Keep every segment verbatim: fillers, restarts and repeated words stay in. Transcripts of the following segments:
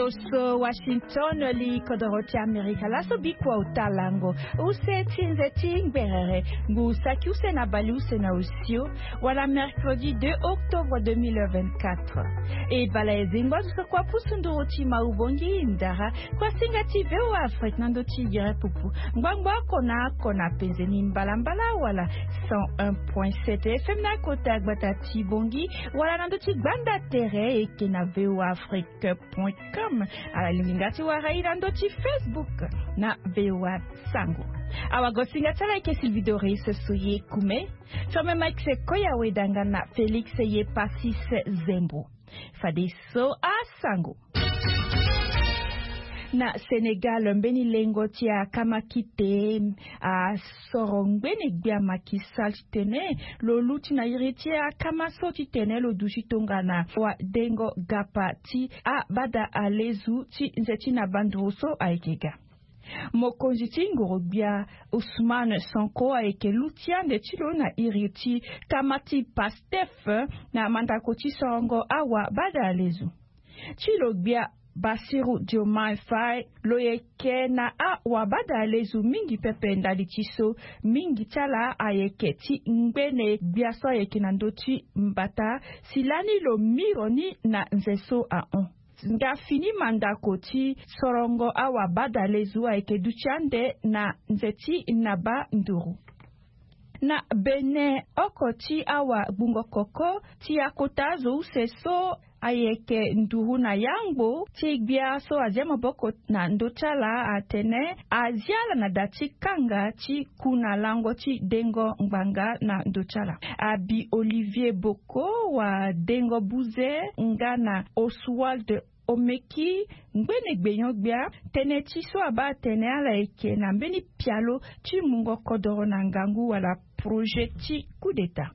Oso Washington, li kodoro ti Amerika laso bikua ota lango. Use ti nze ti ngberere, ngu saki use na bale use na osio, wala mercredi deux octobre deux mille vingt-quatre. E bala e zengba zo so kua pusu nduru ti ma ubongi ndara, kua singa ti V O A Afrique na ndo ti yere pupu. Ngbangbo oko na oko na penze ni mbalambala wala cent un point sept F M na kota gbata ti Bongi, wala na ndo ti gbanda tere eke na V O A Afrique point com. Ala lingbi nga ti wara e na ndo ti Facebook na V O A Sango. Awagosinga ti ala eke Sylvie Doris Soye Kume. Firme Mike Sekoya Wedanga na Félix Yepasis Zembo. Fadeso asango. Na Sénégal, mbeni lengo ti akamakite asoro ngbene gbia Macky Sall titene lo luti na iri ti akama so titene lo duti tongana wadengo gapa ti abada alezu ti nze ti na banduru so ayeke ga. Mokonzi ti ngoro-gbia Ousmane Sonko ayeke luti ande ti lo na iri ti kama ti Pastef na mandako ti sorongo awabada alezu. Ti lo gbia Bassirou Diomaye Faye lo yeke na awabada alezu mingi pepe ndali ti so mingi ti ala ayeke ti ngbene gbia so ayeke na ndö ti mbata si lani lo miro ni na nze so ahon. Nga fini mandako ti sorongo awabada alezu ayeke duti ande na nze ti naba nduru. Na Bénin, oko ti awagbungo koko ti akota azo use so ayeke nduru na yangbo ti gbia so azia maboko na ndö ti ala atene azia ala na da ti kanga ti ku na lango ti dengo ngbanga na ndö ti ala. Abi Olivier Boko, wadengo buze nga na Oswald Omeki, ngbene gbenyo-gbia, tënë ti so abaa atene ala yeke na mbeni pialo ti mungo kodoro na ngangu wala projet ti coup d'état.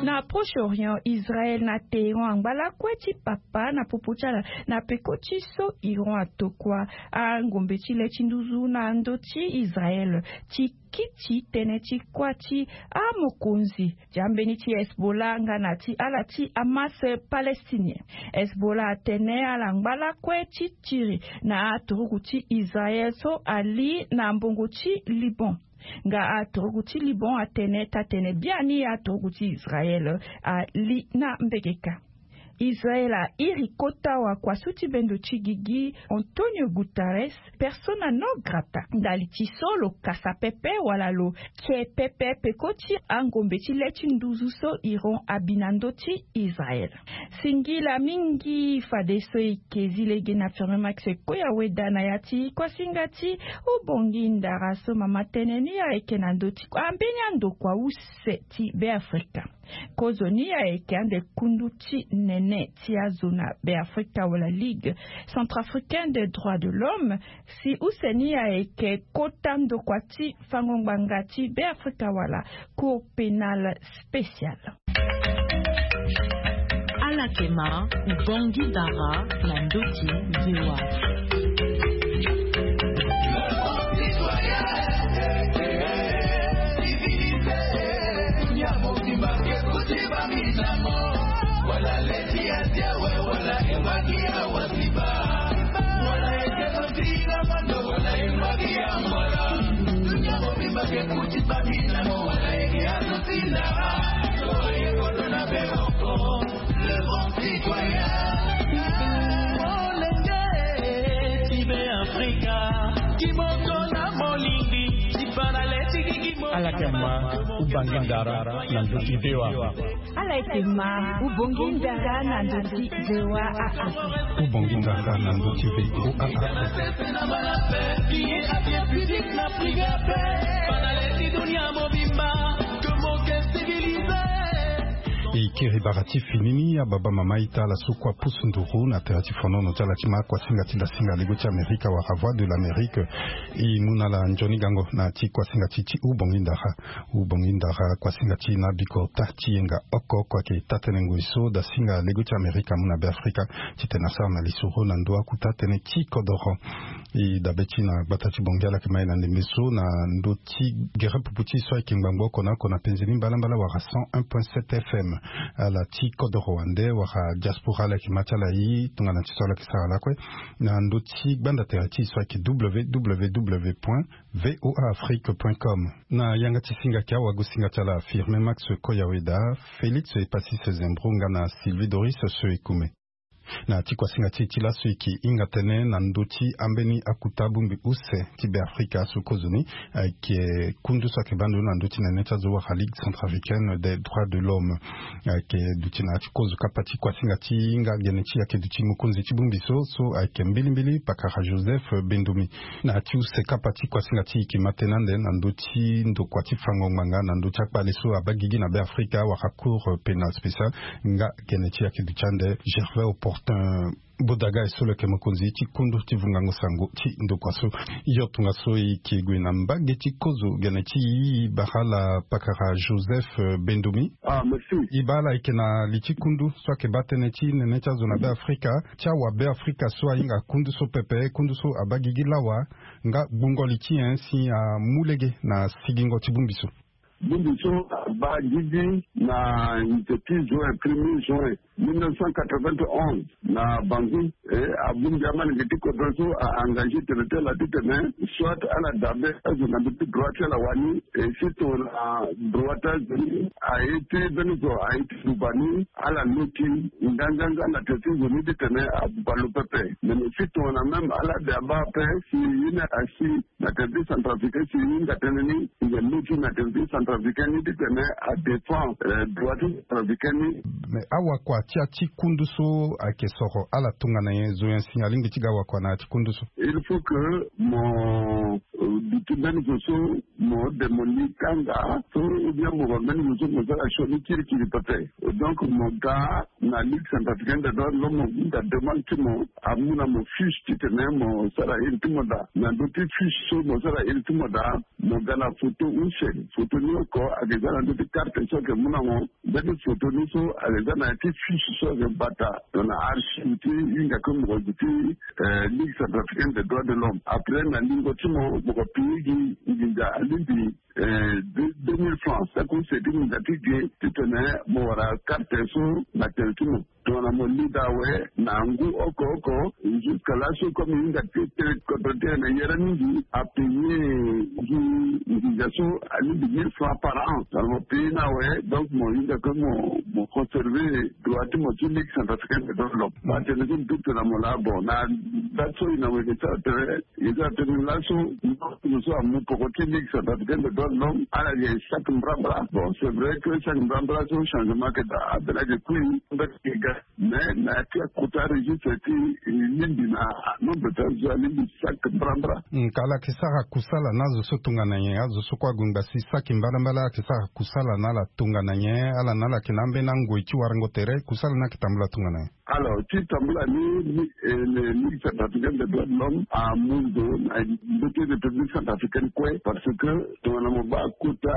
Na Proche-Orient, Israël na Téhéran angba lakue ti papa na popo ti ala na peko ti so Iran atokua angombe ti le ti nduzu na ndö ti Israël ti kiti tënë ti kuâ ti amokonzi ti ambeni ti Hezbollah nga na ti ala ti Hamas palestinien. Hezbollah atene ala ngba lakue ti tiri na aturugu ti Israël so ali na mbongo ti Liban. Nga aturugu ti Liban atene tatene biani aturugu ti Israël ali na mbegeka. Israël airi kota wakuasu ti bendo ti gigi Antonio Guterres persona non grata ndali ti so lo kasa pepe wala lo ke pepe peko ti angombe ti le ti nduzu so Iran abi na ndö ti Israël. Singila mingi fadeso e ke zi lege na Firmin Max Koya Weda na ya ti kuasinga ti Ubongi Ndara so mama tënë ni ayeke na ndö ti ambeni andokua use ti Beafrika. Kozoni ayeke ande kundu ti nene ti azo na Beafrika wala Ligue Centrafricaine des Droits de l'Homme, si use ni ayeke kota ndokua ti fango ngbanga ti Beafrika wala Cour Pénale Spéciale. Ala yeke ma Ubongi Ndara na ndö ti V O A. Ala yeke ma Ubongi Ndara na ndö ti V O A. Ala yeke ma Ubongi Ndara na ndö ti V O A Afrique. Ubongi Ndara na ndö ti V O A Afrique. E kiri bara ti fini ni, ababa mama ita ala so kua pusu nduru na tere ti fonono ti ala ti ma kuasinga ti dasinga lego ti Amerika wala Voix de l'Amérique. E mu na ala nzoni gango na ti kuasinga ti ti Ubongi Ndara. Ubongi Ndara, kuasinga ti na biko ota ti yenga oko oko ayeke taa-tënë ngoi so dasinga lego ti Amerika amu na Beafrika titene asara na lisoro na ndo akuta tënë ti kodoro. E dabe ti na gbata ti Bongi ala yeke ma e na ndembe so na ndö ti gere pupu ti e so ayeke ngbangbo oko na oko na penze ni mbalambala wala cent un point sept F M. Ala ti kodoro wande wala diaspora ala yeke ma ti ala e tongana ti so ala yeke sara lakue na ndö ti gbanda tere ti e so ayeke W W W point V O A Afrique point com. Na yanga ti singa ayeke awagosinga ti ala Firmin Max Koyaweda, Félix Epasis Zembro nga na Sylvie Doris Soekume. Na ti kuasinga ti e ti laso e yeke hinga tënë na ndö ti ambeni akota bongbi use ti Beafrika so kozoni ayeke kundu so ayeke baa ndo na ndö ti nene ti azo wala Ligue Centrafricaine des Droits de l'Homme. Ayeke duti na ya ti kozo kapa ti kuasinga ti hinga gene ti e ayeke duti mokonzi ti bongbi so so ayeke mbilimbili pakara Joseph Bendomi. Na ya ti use kapa ti kuasinga ti e yeke ma tënë ande na ndö ti ndokua ti fango ngbanga na ndö ti akpale so abaa gigi na Beafrika wala Cour pénale spéciale. Nga gene ti e ayeke duti ande Gervais Opportun Bodaga e so lo yeke mokonzi ti kundu ti vungango sango ti ndokua so. Yo tongaso e yeke gue na mbage ti kozo gene ti e bara ala pakara Joseph, eh, Bendomi. Ah, merci. E bara ala ayeke na li ti kundu so ayeke baa tënë ti nene ti azo na Beafrika, ti awabeafrika so ahinga kundu so pepe, kundu so abaa gigi lawa, nga gbungo li ti nyen si amu lege na sigingo ti bongbi so. Bongbi so abaa gigi na nze ti juin, premier juin mille neuf cent quatre-vingt-onze na Bangui. E abongbi amalenge ti kodro so a-engagé tene ti ala titene soit ala dabe azo na ndö ti droit ti ala wani. E si tongana droit ti azo ni aye ti mbeni zo aye ti duba ni, ala loti nganganga na tere ti zo ni titene abuba lo pepe. Me si tongana même ala de abaa ape si ye ni asi na tere ti Centrafricain si e hinga tënë ni, e yeke loti na tere ti Centrafricain ni titene adéfend, eh, droit ti Centrafricain ni. Mais awakua ti ya ti kundu so ayeke soro ala tongana nyen, zo nyen si alingbi ti ga wakua na ya ti kundu so? Il faut que mo, eh, duti mbeni zo so mo de mo li kanga so, ou bien mo ba mbeni zo so mo sara sioni kirikiri pepe. Donc mo ga na Ligue Centrafricaine des Droits de l'Homme, mo hinga demande ti mo, amu na mo fiche titene mo sara iri ti mo daa. Na ndö ti fiche so mo sara iri ti mo daa, mo ga na photo use. Photo ni oko ayeke za na ndö ti carte so ayeke mu na mo. Mbeni photo ni so ayeke za na ya ti fiche so ayeke bata na archive ti hinga kue mokonzi ti, eh, Ligue Centrafricaine des Droits de l'Homme. Après na lingo ti mo, mo ko pii gi nginza alingbi, eh, deux, deux mille francs, saki use ti nginza ti ge titene mo wara carte so na tere ti mo. Tongana mo li daa awe na ngu oko oko, jusqu'à laso comme e hinga ti tene kodro ti e na yere mingi, apaye gi nginza so alingbi mille francs par an. Tongana mo paye ni awe, donc mo hinga kue mo, mo conserver droit ti mo ti Ligue Centrafricaine des Droits de l'Homme. Ba tene so mbi peut tene na mo laa, bon, na date so e na mo yeke sara tere, e sara tene laso, mo so amu poko ti Ligue Centrafricaine des Droits de l'Homme, ala yeke chaque mbrambra. Bon, c'est vrai que chaque mbrambra so changement ayeke daa, ambeni ayeke kui, mbeni ayeke ga. Mais na ya ti akota registre ti e lingbi na nombre ti azo alingbi chaque mbrambra. Nka ala yeke sara kusala na azo so tongana nyen? Azo so kue ague ngbasi saki mbalambala, ala yeke sara kusala na ala tongana nyen? Ala na ala yeke na ambeni angoi ti warango tere, kusala ni ayeke tambula tongana nyen? Alors, ti tambula ni, ni, eh, le Ligue Centrafricaine des Droits de l'Homme amu ndo na ndö ti République Centrafricaine kue, parce que tongana mo baa kota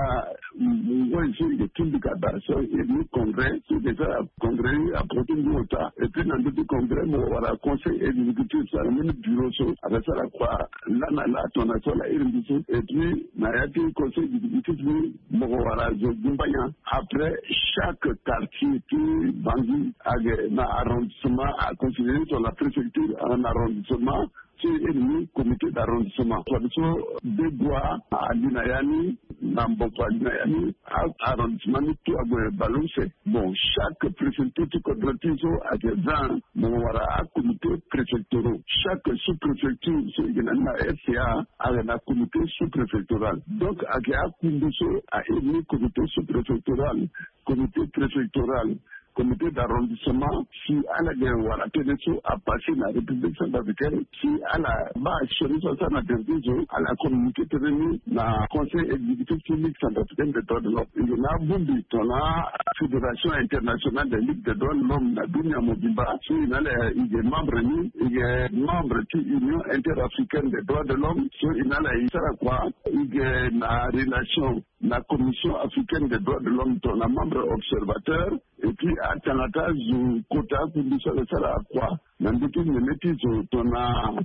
ngoi so e yeke ti mbika daa so e ni congrès, so e yeke sara congrès ni aporo ti ngu ota. Et puis na ndö ti congrès mo wara conseil exécutif so ayeke mbeni bureau so ayeke sara kua laa na laa tongana so ala iri mbi so. Et puis na ya ti conseil exécutif ni mo ko wara zo gumbanya. Après chaque quartier ti Bangui ayeke na arrondissement, aconsidéré tongana préfecture ayeke na arrondissement. So e iri ni comité d'arrondissement. Fadeso Begoua ali na ya ni, na Mboko ali na ya ni, a-, arrondissement ni tout ague baleuse. Bon, chaque préfecture ti kodro ti e so ayeke vingt, mo wara acomité préfectoraux. Chaque sous-préfecture so e yeke na ni na R C A ayeke na comité sous-préfectoral. Donc ayeke akundu so a iri ni comité sous-préfectoral, comité préfectoral, comité d'arrondissement, si ala yeke wara tënë so apasé na République Centrafricaine, si ala baa sioni so asara na tere ti zo, ala communiqué tënë ni na conseil exécutif ti Ligue Centrafricaine des Droits de l'Homme. E yeke na abongbi tongana Fédération Internationale des Ligues des Droits de l'Homme na dunia mobimba, so e na ala e yeke membre ni, e yeke membre ti Union Interafricaine des Droits de l'Homme, so e na ala e sara kua, e yeke na relation na Commission Africaine des Droits de l'Homme tongana membre observateur. Et puis atanga ti azo kota akundu so ayeke sara kua na ndö ti nene ti zo tongana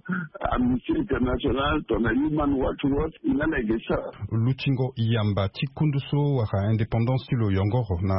Amnesty International, tongana Human Rights Watch, e na ala yeke sara. Lutingo yamba ti kundu so wala indépendance ti lo yongoro na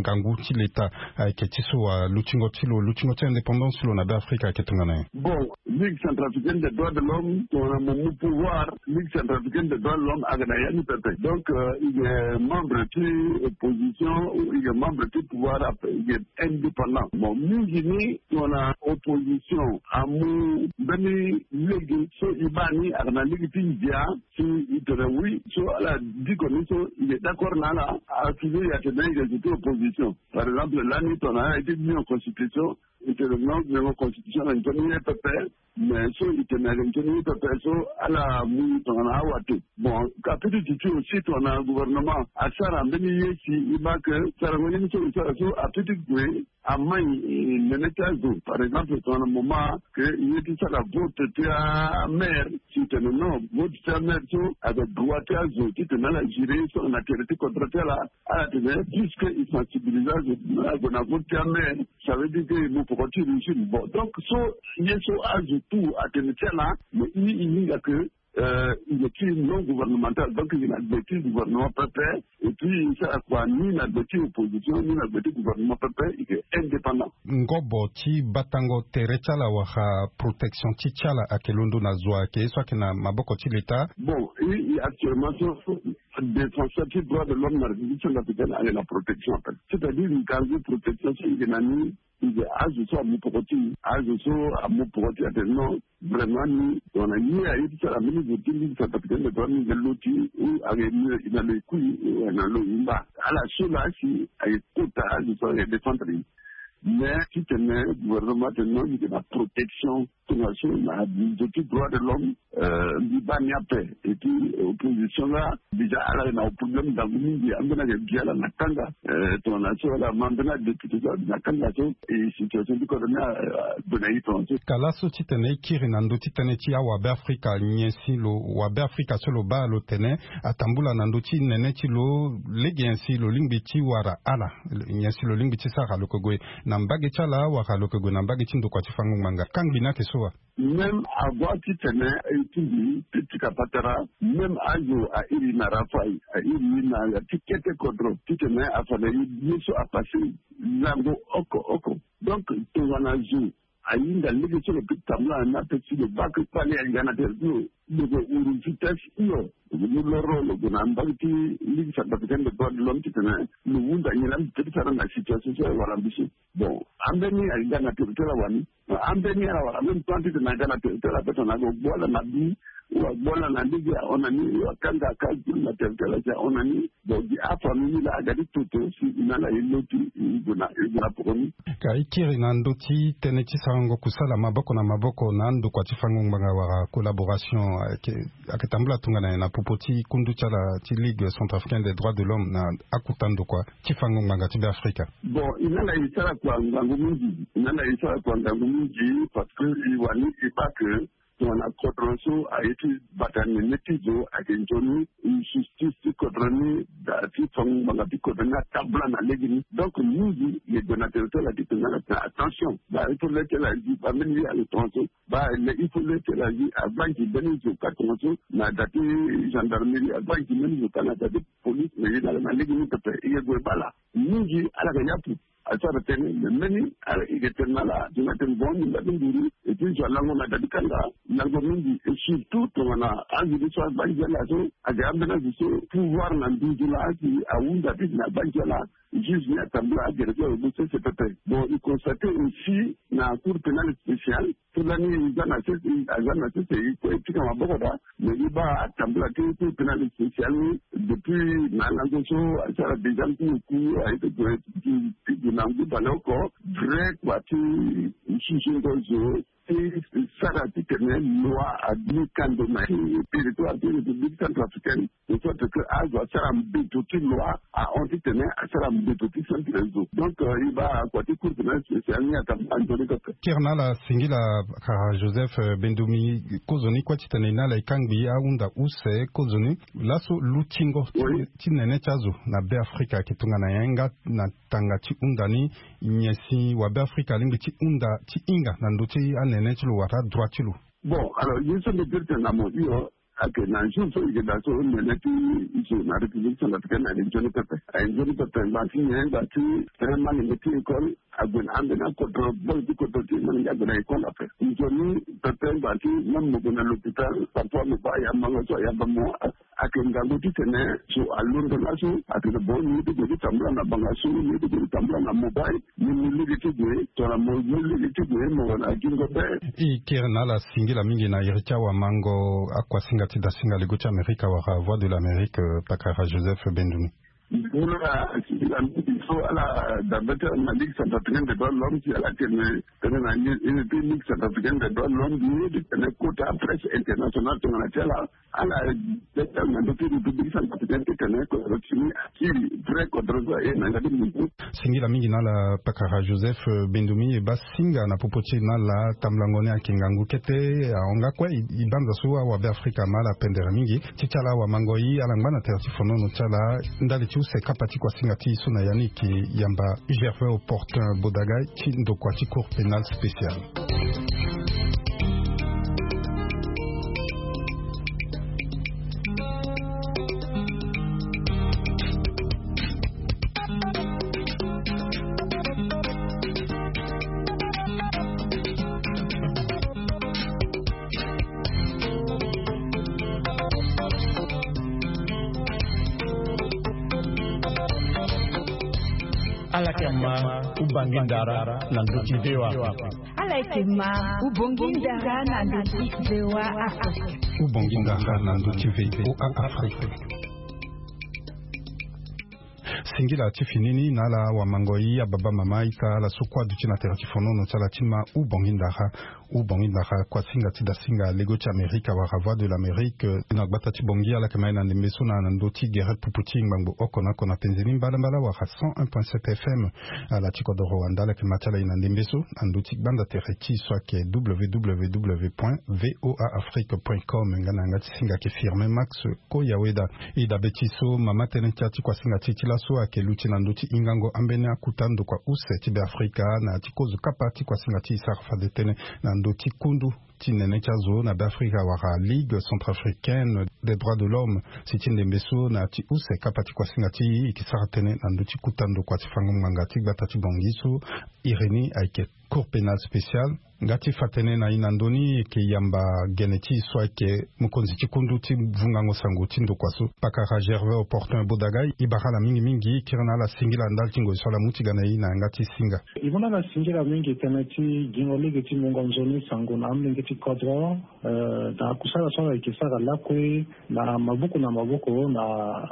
ngangu ti leta ayeke ti so wa lutingo ti lo, lutingo ti indépendance ti lo na Beafrika ayeke tongana nyen? Bon, Ligue centrafricaine des droits de l'homme tongana mo mu pouvoir, Ligue centrafricaine des droits de l'homme ayeke na ya ni pepe. Donc, euh, e yeke membre ti opposition ou e yeke membre ti pouvoir, e yeke indépendant. Bon, mingi ni tongana opposition amu mbeni lege so e baa ni ayeke na lege ti ndia, si e tene oui, so ala diko ni so e yeke d'accord na ala, a toujours e tene e yeke zo ti opposition. Par exemple, lani tongana ala ye ti nyon constitution, e tene non, nyon constitution ayeke nzoni ye pepe. Mais so e tene ayeke nzoni ye pepe so, ala mu tongana awa te. Bon, ka peut ti duti aussi tongana gouvernement asara mbeni ye si e baa ke sarango ye ni so e sara so a peut ti gue amai, eh, nene ti azo. Par exemple, tongana moment ke e ye ti sara vote ti amaire, si e tene non, vote ti amaire so ayeke droit ti azo titene ala gérer ye so na tere ti kodro ti ala. Ala tene puisque e sensibiliser azo, ague na vote ti amaire, ça veut dire que e mu poko ti régime. Bon, donc so ye so azo tout atene ti ala, mais e, e hinga ke, euh, e yeke ti non gouvernemental, donc e yeke na gbe ti gouvernement pepe. Et puis e sara kua ni na gbe ti opposition ni na gbe ti gouvernement pepe, e yeke indépendant. Ngobo ti batango tere ti ala wala protection ti ti ala ayeke londo na zo ayeke ye so ayeke na maboko ti leta? Bon, e, e actuellement so, défenseur ti droit de l'homme na République centrafricaine ayeke na protection ape. C'est-à-dire ngangu protection so e yeke na ni, e yeke azo so amu poko ti e, azo so amu poko ti e atene non, vraiment ni tongana ye aye ti sara mbeni zo ti Ligue centrafricaine des droits ni, e yeke lo ti e ou ayeke na lo e kui ou ayeke na lo e mba. Ala so laa si ayeke kota azo so ayeke défendre e. Mais titene gouvernement atene non, e yeke na protection tongaso na zo ti droit de l'homme, euh, mbi baa ni ape. Et puis opposition laa déjà ala yeke na problème ndangu mingi, ambeni ayeke gi ala na kanga. Euh, tongana so ala ma ambeni adéputé so abi na kanga so, e situation ti kodro ni, euh, ague na e tongaso. Ka laso titene e kiri na ndö ti tënë ti awabe Afrika, nyen si lo wabe Afrika so lo baa lo tene atambula na ndö ti nene ti lo, lege nyen si lo lingbi ti wara ala, nyen si lo lingbi ti sara, lo yeke gue na mbage ti ala wala lo yeke gue na mbage ti ndokua ti fango ngbanga? Kangbi ni ayeke so wa? Même avant titene e tingbi ti tika patara, même azo a iri na Rafai, a iri na ya ti kete kodro titene afa na ye so apasse lango oko oko. Donc tongana zo ahinga lege so lo peut tambula na ni ape si lo baa ke kpale ahinga na tere ti lo, lo yeke huru vitesse hio. Lo yeke mu loro lo gue na mbage ti Ligue centrafricaine des droits de l'homme titene lo hunda nyen laa mbi peut ti sara na situation so awara mbi so. Bon, ambeni ahinga na tere ti ala wani. Ambeni ala wara même temps titene aga na tere ti ala ape tongana ague agbu ala na bi ou agbu ala na lege ahon na ni ou akanga akagbu na tere ti ala si ahon na ni. Bon, gi afamille ni laa aga ti toto si e na ala e loti e gue na, e gue na poko ni. Ka e kiri na ndö ti tënë ti sarango kusala maboko na maboko na andokua ti fango ngbanga wala collaboration, eh, ayeke, ayeke tambula tongana nyen na popo ti kundu ti ala ti Ligue centrafricaine des droits de l'homme na akota ndokua ti fango ngbanga ti Beafrika? Bon, e na ala e sara kua ngangu mingi, e na ala e sara kua ngangu mingi parce que e wani e baa ke tongana kodro so aye ti bata nene ti zo ayeke nzoni, e justice ti kodro ni, da ti fango ngbanga ti kodro ni atambula na legeni. Donc mingi e gue na tere ti ala titene ala tene attention, baa il faut le ti ala zi baa mbeni ye ayeke tongaso, baa il faut le ti ala zi abaa nzi mbeni zo ka tongaso na da ti gendarmerie, abaa nzi mbeni zo ka na da ti police, mais ye na ala na legeni pepe e yeke gue baa ala. Mingi ala yeke yapu asara tënë, mais mbeni ala yeke tene na ala, tongana tene bon ni nda ti nduru, et puis zo alango na da ti kanga, lango mingi, et surtout tongana azo ni so abaa nzi ala so, ayeke ambeni azo so pouvoir na nduzu laa si ahunda titene abaa nzi ala, juge ni atambula agere ti ala lo sese pepe. Bon, e constate aussi na cour pénale spéciale, so lani e za na sese, e za na sese, e kue e tika maboko daa. Mais e baa atambula ti cour pénale spéciale ni depuis na lango so asara déjà ngu oku aye ti gue ti gue na ngu baleoko. Vrai kua ti susungo zo ti sara titene loi adu ni kando na territoire ti République centrafricaine, de sorte que azo asara mbeto ti loi ahon titene asara mbeto ti centre zo. Donc e baa kua ti cour pénale spéciale ni atambula nzoni pepe. Kiri na ala singila, kara Joseph Bendumi. Kozoni kue titene e na ala e kangbi ahunda use kozoni laso lutingo ti nene ti azo na Beafrika ayeke tongana nyen nga na tanga ti hunda ni, nyen si wabeafrika alingbi ti hunda ti hinga na ndö ti anene ti lo wala adroit ti lo? Bon, alors ye so mbi biri tene na mo hio ayeke na jour so e yeke daa so nene ti zo na République centrafricaine ayeke nzoni pepe. Ayeke nzoni pepe ngbanga ti nyen? Ngbanga ti tene malenge ti école ague na ambeni akodro, bol ti kodro ti malenge ague na école ape. Nzoni pepe ngbanga ti même mo gue na l'hôpital, parfois mo baa ayangbanga so ayamba mo. Ayeke ngangu titene so alondo laso atene bon, ni ye ti gue ti tambula na banga so, ni ye ti gue ti tambula na mobile, ni mu lege ti gue tongana mo mu lege ti gue mo wara na gingo be. E kiri na ala singila mingi na iri ti awamango akuasinga ti dasinga lego ti Amerika wala Voix de l'Amérique, pakara Joseph Bendumi. Nduru na singila mingi so ala dabe ti ala na Ligue centrafricaine des droits de l'homme si ala tene tene na ye ti Ligue centrafricaine des droits de l'homme ni titene kota presse internationale tongana ti ala. Ala beta na ndö ti République centrafricaine titene kodro ti ni akiri vrai kodro so aye na yanga ti mundu. Singila mingi na ala pakara Joseph Bendumi, e baa singa na popo ti e na ala tambulango ni ayeke ngangu kete. Ahon nga kue e banza so awabeafrika ama ala pendere mingi ti ti ala awamango e ala ngba na tere ti fonono ti ala ndali ti use kapa ti kuasinga ti e so na ya ni e ke yamba Gervais Opportun Bodaga ti ndokua ti Cour pénale spéciale. Ala yeke ma ubongi ndara na ndö ti V O A. Ala yeke ma ubongi ndara na ndö ti V O A Afrique. Ubongi ndara na ndö ti V O A Afrique. Singila ti fini ni na ala wamango e, ababa mama, ita, ala so kue aduti na tere ti fonono ti ala ti ma ubongi ndara. Ubongi ndara kuasinga ti dasinga lego ti Amerika wala Voix de l'Amérique, eh, na gbata ti Bangui, ala yeke ma e na ndembe so na ndö ti gere pupu ti ngbangbo oko na oko na penze ni mbalambala wala cent un point sept F M. Ala ti kodoro wanda, ala yeke ma ti ala e na ndembe so na ndö ti gbanda tere ti e so ayeke W W W point V O A Afrique point com. Nga na yanga ti singa ayeke Firmin Max Koyaweda. E dabe ti e so mama tënë ti ya ti kuasinga ti e ti laso ayeke luti na ndö ti hingango ambeni akuta ndokua use ti Beafrika na ya ti kozo kapa ti kuasinga ti e sara fade tënë na ndö ti kundu ti nene ti azo na Beafrika wala Ligue centrafricaine des droits de l'homme. Si ti ndembe so na ya ti use kapa ti kuasinga ti e, e yeke sara tënë na ndö ti kuta ndokua ti fango ngbanga ti gbata ti Bangui so iri ni ayeke Cour pénale spéciale. Nga ti fa tënë na e na ndö ni, e yeke yamba gene ti e so ayeke mokonzi ti kundu ti vungango sango ti ndokua so, pakara Gervais Opportun Bodaga. E bara ala mingi mingi, kiri na ala singila ndali ti ngoi so ala mu ti ga na e na yanga ti singa. E mu na ala singila mingi tënë ti gingo lege ti mungo nzoni sango na amolenge ti kodro, eh, na kusala so ala yeke sara lakue na maboko na maboko na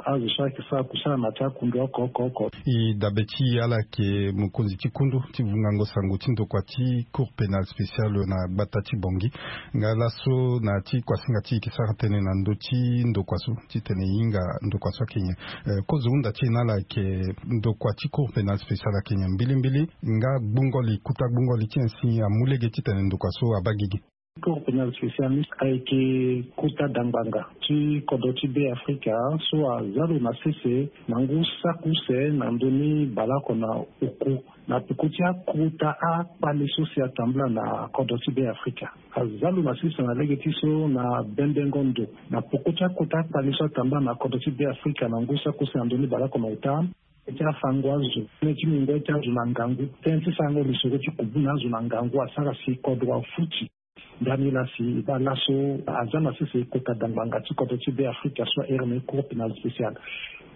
azo so ayeke sara kusala na ya ti akundu oko oko oko. E dabe ti e ala yeke mokonzi ti kundu ti vungango sango ti ndokua ti Cour pénale spéciale na gbata ti Bangui. Nga laso na ya ti kuasinga ti e, e yeke sara tënë na ndö ti ndokua so titene e hinga ndokua so ayeke nyen. Eh, kozo hunda ti e na ala ayeke ndokua ti Cour pénale spéciale ayeke nyen mbilimbili? Nga gbungo li, kuta gbungo li ti nyen si amu lege titene ndokua so abaa gigi? Cour pénale spéciale ni ayeke kuta dangbanga ti kodro ti Beafrika so aza lo na sese na ngu saki use na ndö ni baleoko na oku na peko ti akota akpale so si atambula na kodro ti Beafrika. Aza lo na sese na lege ti so na bembengo ndo na peko ti akota akpale so atambula na kodro ti Beafrika na ngu saki use na ndö ni baleoko na ota. Tënë ti afango azo, tënë ti mungo ti azo na ngangu, tënë ti sarango lisoro ti kubu na azo na ngangu asara si kodro afuti. Ndani laa si e baa laso aza na sese kota dangbanga ti kodro ti Beafrika so ahere na e Cour pénale spéciale.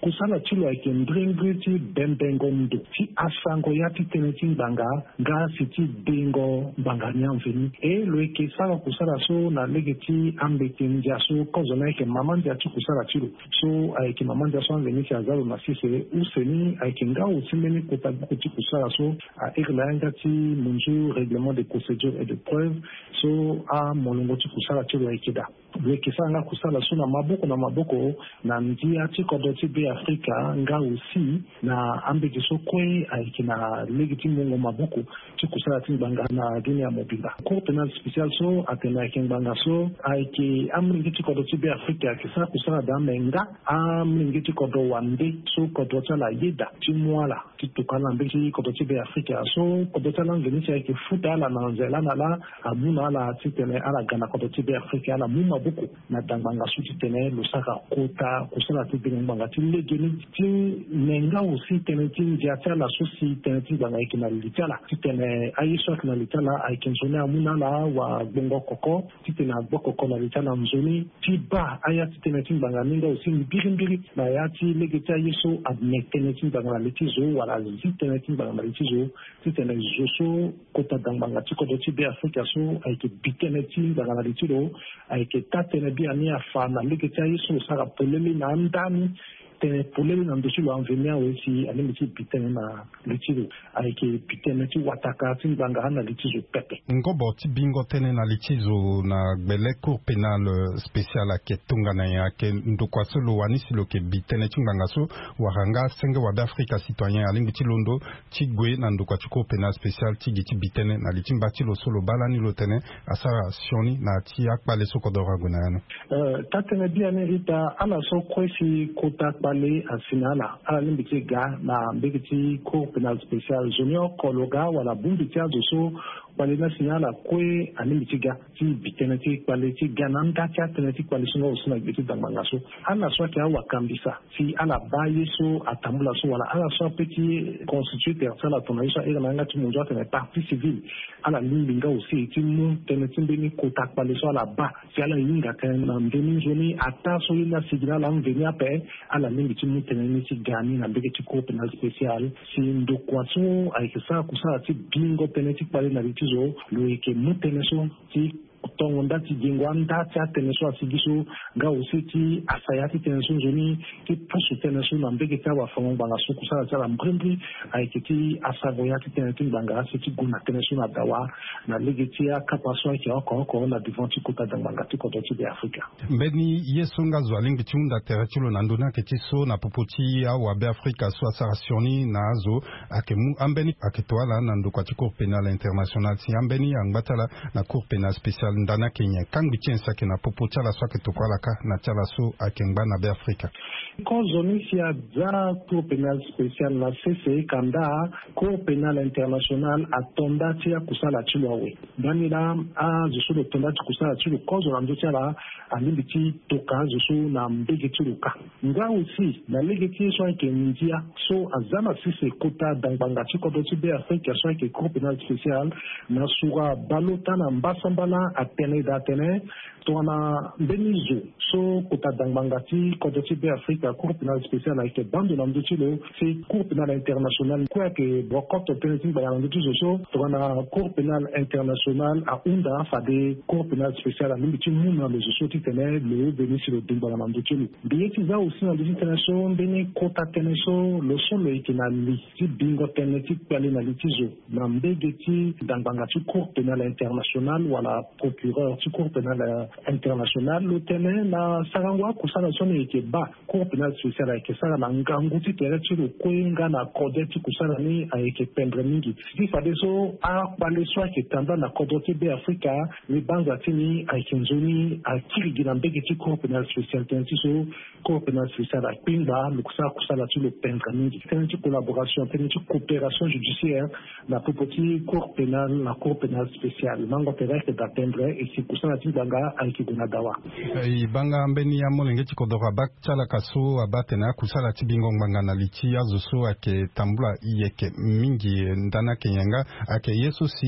Kusala ti lo ayeke mbrimbri ti bembengo ndo ti asango ya ti tënë ti ngbanga nga si ti dengo ngbanga ni anzoni. E lo yeke sara kusala so na lege ti ambeti ndia so kozo ni ayeke mama ndia ti kusala ti lo. So ayeke mama ndia so anzoni si aza lo na sese use ni ayeke nga aussi mbeni kota buku ti kusala so airi na yanga ti munzu règlement de procédure et de preuve. So amolongo ti kusala ti lo ayeke daa. Lo yeke sara nga kusala so na maboko na maboko na ndia ti kodro ti Be Afrika nga aussi na ambeti so kue ayeke na lege ti mungo maboko ti kusala ti ngbanga na dunia mobimba. Cour pénale spéciale so atene ayeke ngbanga so ayeke amolenge ti kodro ti Be Afrika ayeke sara kusala daa me nga amolenge ti kodro wande so kodro ti ala ayeda ti mu ala ti tokua ala na mbeti ti kodro ti Be Afrika. So kodro ti ala anzoni si ayeke futa ala na nzela na ala amu na ala titene ala ga na kodro ti Be Afrika ala mu maboko na dangbanga so titene lo sara kota kusala ti dengo ngbanga ti legeni ti me nga aussi tënë ti ndia ti ala so si tënë ti ngbanga ayeke na li ti ala titene aye so ayeke na li ti ala ayeke nzoni amu na ala wagbongo koko titene agbokoko na li ti ala nzoni ti baa aya ti tënë ti ngbanga ni nga aussi mbirimbiri na ya ti lege ti aye so ame tënë ti ngbanga na li ti zo wala azi tënë ti ngbanga na li ti zo titene zo so kota dangbanga ti kodro ti Be Afrika so ayeke bi tënë ti ngbanga na li ti lo ayeke taa tënë biani afa na lege ti aye so lo sara polele na anda ni. Tënë polele na ndö ti lo anveni awe si alingbi ti bi tënë na li ti lo ayeke bi tënë ti wataka ti ngbanga na li ti zo pepe. Ngobo ti bingo tënë na li ti zo na gbele Cour pénale spéciale ayeke tongana nyen? Ayeke ndokua so lo wani si lo yeke bi tënë ti ngbanga so wala nga senge wa Be Afrika citoyen alingbi ti londo ti gue na ndokua ti Cour pénale spéciale ti gi ti bi tënë na li ti mba ti lo so lo baa lani lo tene asara sioni na ya ti akpale so kodoro ague na ya ni. Taa tënë biani ita ala so kue si kota kpale asi na ala ala lingbi ti ga na mbege ti Cour pénale spéciale zo ni oko lo ga wala bongbi ti azo so kpale ni asi na ala kue alingbi ti ga ti bi tënë ti kpale ti ga na anda ti atënë ti kpale so nga osi na gbe ti dangbanga so. Ala so ayeke awakambisa si ala baa ye so atambula so wala ala so ape ti constitue tere ti ala tongana ye so airi na yanga ti munzu atene partie civile ala lingbi nga osi ti mu tënë ti mbeni kota kpale so ala baa si ala hinga tënë na ndö ni nzoni ataa so ye ni asigi na ala mveni ape. Ala lingbi ti mu tënë ni ti ga ni na mbege ti Cour pénale spéciale si ndokua so ayeke sara kusala ti bingo tënë ti kpale na li ti zo lo yeke mu tënë so ti tongo nda ti gingo anda ti atënë so asigi so nga osi ti asa ya ti tënë so nzoni ti pusu tënë so na mbege ti awafango ngbanga so kusala ti ala mbrimbri ayeke ti asango ya ti tënë ti ngbanga si ti gue na tënë so na dawa na lege ti akapa so ayeke oko oko na devant ti kota dangbanga ti kodro ti Be Afrika. Mbeni ye so nga zo alingbi ti hunda tere ti lo na ndö ni ayeke ti so na popo ti awa Be Afrika so asara sioni na azo ayeke mu ambeni ayeke to ala na ndokua ti Cour pénale internationale si ambeni angba ti ala na Cour pénale spéciale ndani ayeke nyen? Kangbi ti nyen si ayeke na popo ti ala so ayeke tokua ala kâ na ti ala so ayeke ngba na Be Afrika? Kozo ni si aza Cour pénale spéciale na sese kanda Cour pénale internationale ato nda ti akusala ti lo awe. Ndani laa azo so lo to nda ti kusala ti lo kozo na ndö ti ala alingbi ti toka azo so na mbege ti lo kâ. Nga aussi na lege ti ye so ayeke ndia so aza na sese kota dangbanga ti kodro ti Be Afrika so ayeke Cour pénale spéciale na sura baleota na mbasambala atene daa atene tongana mbeni zo so kota dangbanga ti kodro ti Be Afrika Cour pénale spéciale ayeke baa ndo na ndö ti lo si Cour pénale internationale kue ayeke bokoto tënë ti ngbanga na ndö ti zo so tongana Cour pénale internationale ahunda fade Cour pénale spéciale alingbi ti mu na lo zo so titene lo veni si lo de ngbanga na ndö ti lo. Mbi ye ti za aussi na ndö ti tënë so mbeni kota tënë so lo so lo yeke na li ti bingo tënë ti kpale na li ti zo na mbege ti dangbanga ti Cour pénale internationale wala procureur ti Cour pénale internationale lo tene na sarango akusala so ni yeke baa Cour pénale spéciale ayeke sara na ngangu ti tere ti lo kue nga na kode ti kusala ni ayeke pendre mingi. Ti fadeso akpale so ayeke tanda na kodro ti Be Afrika ni banza ti ni ayeke nzoni akiri gi na mbege ti Cour pénale spéciale tënë ti so Cour pénale spéciale akpengba lo sara kusala ti lo pendre mingi tënë ti collaboration tënë ti coopération judiciaire na popo ti Cour pénale na Cour pénale spéciale mango tere ayeke daa pendre. E si kusala ti ngbanga ayeke gue na dawa. E banga mbeni amolenge ti kodoro abaa ti ala ka so abaa atene akusala ti bingo ngbanga na li ti azo so ayeke tambula yeke mingi ndani ayeke nyen nga? Ayeke ye so si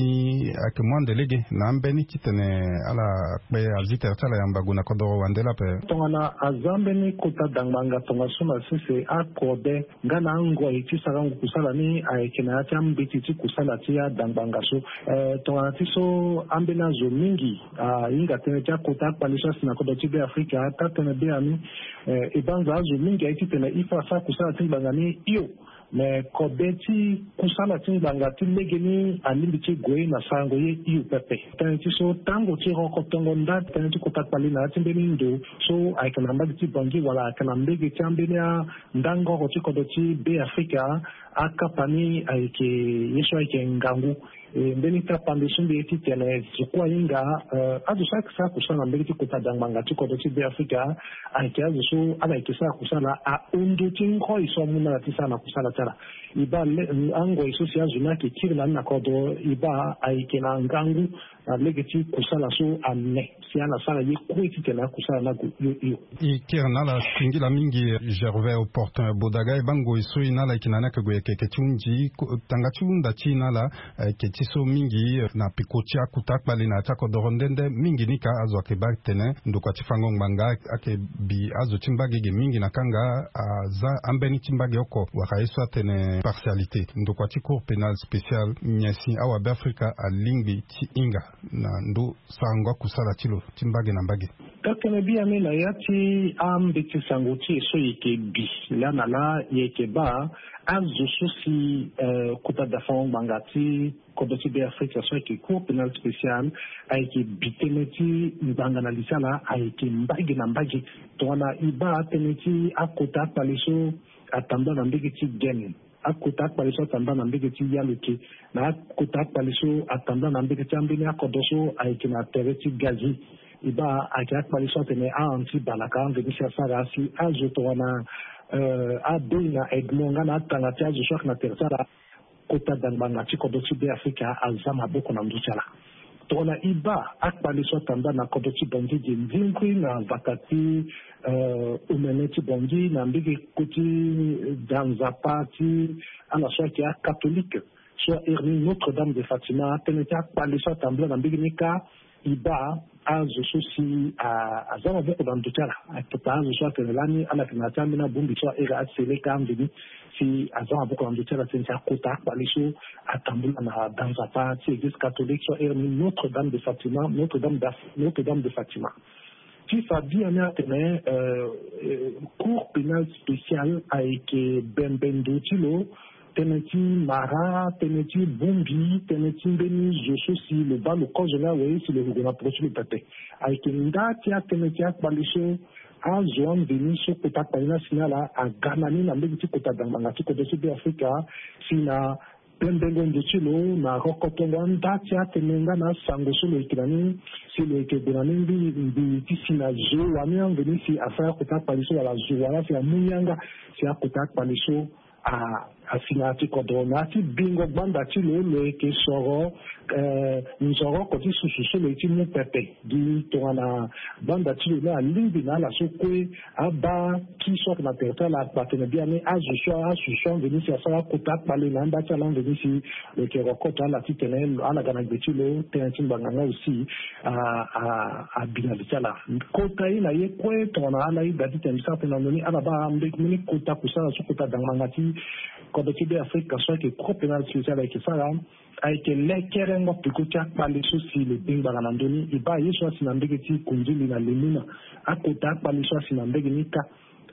ayeke mu ande lege na ambeni titene ala kpe azi tere ti ala yamba gue na kodoro wande laa ape. Tongana aza mbeni kota dangbanga tongaso na sese akode nga na angoi ti sarango kusala ni ayeke na ya ti ambeti ti kusala ti adangbanga so. Eh, tongana ti so ambeni azo mingi ahinga tënë ti akota akpali so asi na kodro ti Be Afrika, ata tënë be ani, eh, e banza azo mingi aye titene il faut asara kusala ti ngbanga ni hio. Mais kode ti kusala ti ngbanga ti lege ni alingbi ti gue na sarango ye hio pepe. Tënë ti so tango ti rokotongo nda tënë ti kota kpali na ya ti mbeni ndo so ayeke na mbage ti Bangui wala ayeke na mbage ti ambeni andangoro ti kodro ti Be Afrika, akapa ni ayeke ye so ayeke ngangu. E, mbeni kapa nde so mbi ye titene zo kue ahinga, eh, azo so ayeke sara kusala na mbage ti kota dangbanga ti kodro ti Be Afrika ayeke azo so ala yeke sara kusala ahundu ti ngoi so amu na ala ti sara na kusala ti ala. E baa le, angoi so si azo ni ayeke kiri na ni na kodro, e baa ayeke na ngangu na lege ti kusala so ane si ala sara ye kue titene akusala ni ague hio hio. E kiri na ala singila mingi, Gervais Opportun Bodaga, e baa ngoi so e na ala yeke na ni ayeke gue yeke yeke ti hunzi, ko-, tanga ti hunda ti e na ala, eh, ayeke ti so mingi, eh, na peko ti akota akpali na ya ti akodoro nde nde mingi ni ka azo ayeke baa tene ndokua ti fango ngbanga ayeke bi azo ti mbage ge mingi na kanga aza ambeni ti mbage oko wala ye so atene partialité. Ndokua ti Cour pénale spéciale nyen si awabe Afrika alingbi ti hinga na ndo sarango akusala ti lo ti mbage na mbage? Tënë biani na ya ti ambeti sango ti e so e yeke bi laa na laa, e yeke baa azo so si, eh, kota dafango ngbanga ti kodro ti Be Afrika so ayeke Cour pénale spéciale ayeke bi tënë ti ngbanga na li ti ala ayeke mbage na mbage. Tongana e baa tënë ti akota akpali so atambula na mbage ti Guinée, akota akpali so atambula na mbage ti Yaluke, na akota akpali so atambula na mbage ti ambeni akodro so ayeke na tere ti Gazi. E baa ayeke akpali so atene ahon ti balaka amveni si asara si azo tongana, eh, abei na Edmond nga na atanga ti azo so ayeke na tere ti ala. Kota dangbanga ti kodro ti Be Afrika aza maboko na ndö ti ala. Tongana e baa akpali so atambula na kodro ti Bangui ge ndingui na vata ti, eh, omene ti Bangui na mbege koti danzapa ti ala so ayeke akatolike so airi ni Notre Dame de Fatima, tënë ti akpali so atambula na mbege ni kâ, e baa azo so si, a, aza maboko na ndö ti ala. Akota azo so atene lani ala yeke na ya ti ambeni abongbi so airi aseleka amveni si aza maboko na ndö ti ala tënë ti akota akpali so atambula na danzapa ti église catholique so airi ni Notre Dame de Fatima, Notre Dame d'Af-, Notre Dame de Fatima. Ti fa biani atene, euh, euh, Cour pénale spéciale ayeke bembe ndo ti lo, tënë ti mara, tënë ti bongbi, tënë ti mbeni zo so si lo baa lo kozo ni awe si lo yeke gue na peko ti lo pepe. Ayeke nda ti atënë ti akpali so azo amveni so kota akpali ni asi na ala aga na ni na mbege ti kota dangbanga ti kodro ti Be Afrika, si na bembengo ndo ti lo na rokotongo anda ti atënë nga na asango so lo yeke na ni, si lo yeke gue na ni ngbii ngbii ti si na zo wani amveni si asara akota akpali so wala zo wala si amu yanga si akota akpali so a, asi na ya ti kodro na ya ti bingo gbanda ti lo, lo yeke soro, eh, nzoro oko ti susu so lo ye ti mu pepe. Gi tongana gbanda ti lo ni alingbi na ala so kue abaa ki so ayeke na tere ti ala akpa tene biani azo so asusu amveni si asara akota akpali na anda ti ala amveni si lo yeke rokoto ala titene ala ga na gbe ti lo, tënë ti ngbanga nga aussi a, a, abi na li ti ala. Kota ye na ye kue tongana ala ye daa titene mbi sara tënë na ndö ni ala baa mbeni kota kusala so kota dangbanga ti kodro ti Be Afrika so ayeke Cour pénale spéciale ayeke sara, ayeke lekerengo peko ti akpali so si lo bengba nga na ndö ni. E baa ye so asi na mbege ti kondili na lemuna, akota akpali so asi na mbege ni kâ.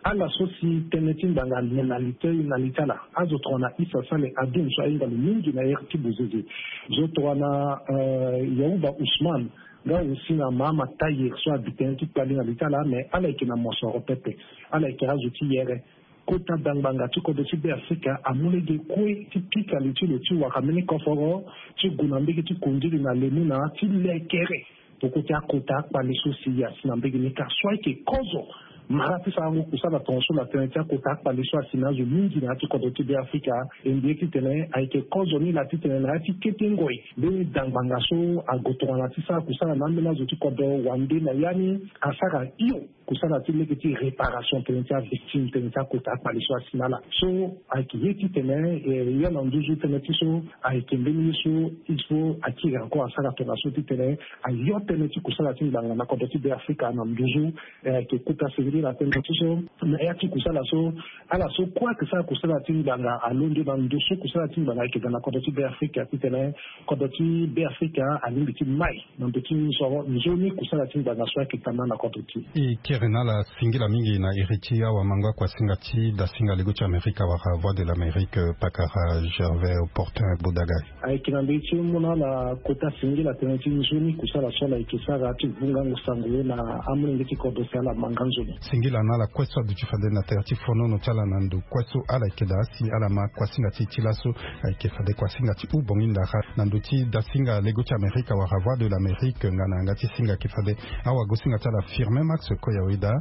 Ala so si tënë ti ngbanga ane na li ti, na li ti ala. Azo tongana Issa Saleh Adoum so ahinga lo mingi na ere ti bozeze. Zo tongana, euh, Yaouba Ousmane, nga aussi na Mahama Tahir so abi tënë ti kpali na li ti ala, mais ala yeke na mosoro pepe. Ala yeke azo ti yere. Kota dangbanga ti kodro ti Be Afrika amu lege kue ti pika li ti lo ti wara mbeni koforo ti gue na mbege ti kondili na lemuna ti lekere peko ti akota akpali so si asi na mbege ni kâ so ayeke kozo Mara ti sarango kusala tongaso na tënë ti akota akpale so asi na azo mingi na ya ti kodro ti Beafrika. E mbi ye titene ayeke kozo ni laa titene na ya ti kete ngoi mbeni da ngbanga so ago tongana ti sara kusala na ambeni azo ti kodro wande na ya ni asara hio kusala ti lege ti réparation tënë ti avictime tënë ti akota akpale so asi na ala. So ayeke ye titene eh, ya na nduzu tënë ti so ayeke mbeni ye so il faut akiri encore asara tongaso titene ayo tënë ti kusala ti ngbanga na kodro ti Beafrika na nduzu. Eh, ayeke kota singila tënë ti so na ya ti kusala so ala so kue ayeke sara kusala ti ngbanga alondo na ndo so kusala ti ngbanga ayeke daa na kodro ti Beafrika titene kodro ti Beafrika alingbi ti mai na ndo ti nzoni kusala ti ngbanga so ayeke daa na kodro ti e. Kiri na ala singila mingi na iri ti awamango akuasinga ti dasinga lego ti Amerika wala Voix de l'Amérique, pakara Gervais Opportun Bodagai. Ayeke na ndö ti mu na ala kota singila tënë ti nzoni kusala so ala yeke sara ti vu ngangu sango ye na amolenge ti kodro si ala ma nga nzoni. Singila na ala kue so aduti fade na tere ti fonono ti ala na ndo kue so ala yeke daa si ala ma kuasinga ti ti laso. Ayeke fade kuasinga ti hubongi ndara na ndo ti dasinga lego ti Amerika wala Voix de l'Amérique nga na yanga ti singa ayeke fade awagosinga ti ala Firmin Max Koyaweda,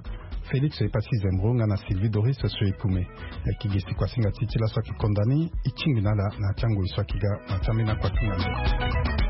Félix Epassi Zembro nga na Sylvie Doris Soekume. Ayeke gi si kuasinga ti ti laso ayeke konda ni. E tingbi na ala na ya ti angoi so ayeke ga na ya ti ambeni akuasinga ndo.